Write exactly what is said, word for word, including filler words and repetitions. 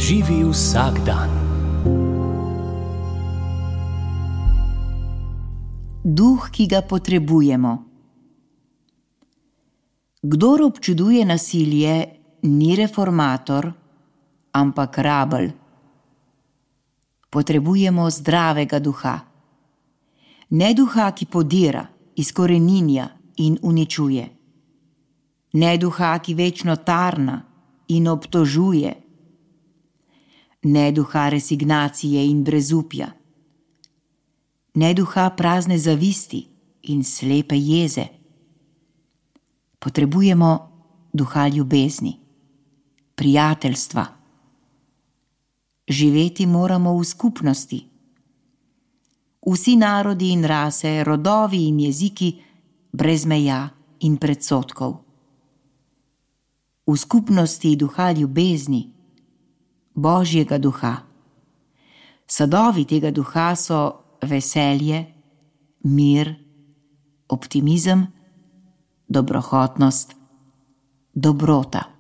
Živi vsak dan. Duh, ki ga potrebujemo. Kdor občuduje nasilje, ni reformator, ampak rabelj. Potrebujemo zdravega duha. Ne duha, ki podira, izkoreninja in uničuje. Ne duha, ki večno tarna in obtožuje. Ne duha resignacije in brezupja. Ne duha prazne zavisti in slepe jeze. Potrebujemo duha ljubezni, prijateljstva. Živeti moramo v skupnosti. Vsi narodi in rase, rodovi in jeziki, brez meja in predsodkov. V skupnosti duha ljubezni, Božjega duha. Sadovi tega duha so veselje, mir, optimizem, dobrohotnost, dobrota.